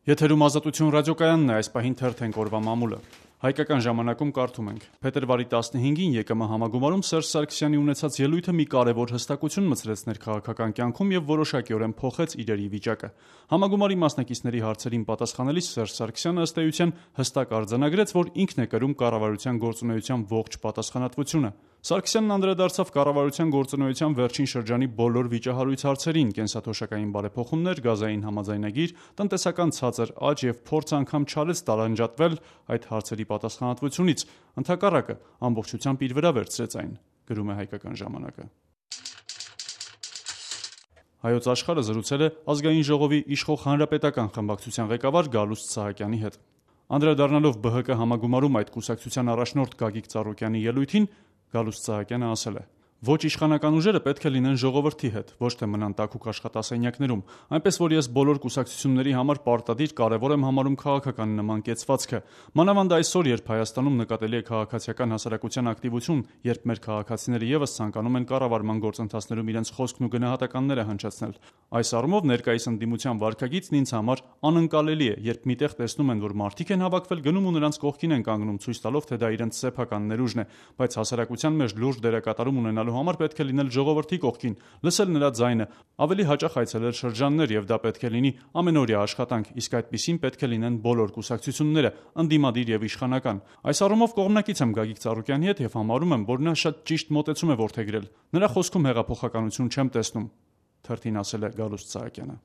Եթերում Ազատություն ռադիոկայանն է, այս պահին թերթենք օրվա մամուլը։ Հայկական ժամանակում կարդում ենք. Փետրվարի 15-ին ԵԿՄ համագումարում Սերժ Սարգսյանի ունեցած ելույթը մի կարևոր հստակություն մտցրեց ներքաղաքական կյանքում եւ որոշակիորեն փոխեց իրերի վիճակը։ Համագումարի մասնակիցների հարցերին պատասխանելիս Սերժ Սարգսյանը ըստ էության հստակ արձանագրեց, որ ինքն է կրում կառավարության գործունեության ողջ պատասխանատվությունը։ Սարգսյանն անդրադարձավ կառավարության գործունեության վերջին շրջանի բոլոր վիճահարույց հարցերին՝ կենսաթոշակային բարեփոխումներ, գազային համաձայնագիր, տնտեսական ցածր աճ եւ փորձ անգամ չարեց տարանջատվել այդ հարցերի պատասխանատվությունից, ընդհակառակը ամբողջությամբ իր վրա վերցրեց այն, գրում է Հայկական ժամանակը։ Հայոց Աշխարհը զրուցել է Ազգային ժողովի իշխող հանրապետական խմբակցության ղեկավար Գալուստ Սահակյանի հետ։ Անդրադառնալով ԲՀԿ համագումարում այդ կուսակցության առաջնորդ Գագիկ Ծառուկյանի ելույթին, Գալուստ Սահակյանը ասել է. «Ոչ իշխանական ուժերը պետք է լինեն ժողովրդի հետ, ոչ թե մնան տաքուկ աշխատասենյակներում, այնպես որ ես բոլոր կուսակցությունների համար պարտադիր կարևոր եմ համարում քաղաքական նման կեցվածքը։ Մանավանդ այսօր, երբ Հայաստանում նկատելի է քաղաքացիական հասարակության ակտիվություն, երբ մեր քաղաքացիները եւս ցանկանում են կառավարման գործընթացներում իրենց խոսքն ու գնահատականները հնչեցնել։ Այս առումով ներկայիս ընդդիմության վարքագիծն ինձ համար անընկալելի է, երբ միտեղ տեսնում են, որ մարդիկ են հավաքվել, գնում ու նրանց կողքին են կանգնում, ցույց տալով, թե դա իրենց սեփական ներուժն է, բայց հասարակության մեջ լուրջ դերակատարում ունենալու համար պետք է լինել ժողովրդի կողքին, լսել նրա ձայնը, ավելի հաճախ այցելել շրջաններ եւ դա պետք է լինի ամենօրյա աշխատանք, իսկ այդպիսին պետք է լինեն բոլոր կուսակցությունները, ընդդիմադիր եւ իշխանական։ Այս առումով կողմնակից եմ Գագիկ Ծառուկյանի հետ եւ համարում եմ, որ նա շատ ճիշտ մոտեցում է որդեգրել։ Նրա խոսքում հեղափոխականություն չեմ տեսնում», թերթին ասել է Գալուստ Սահակյանը։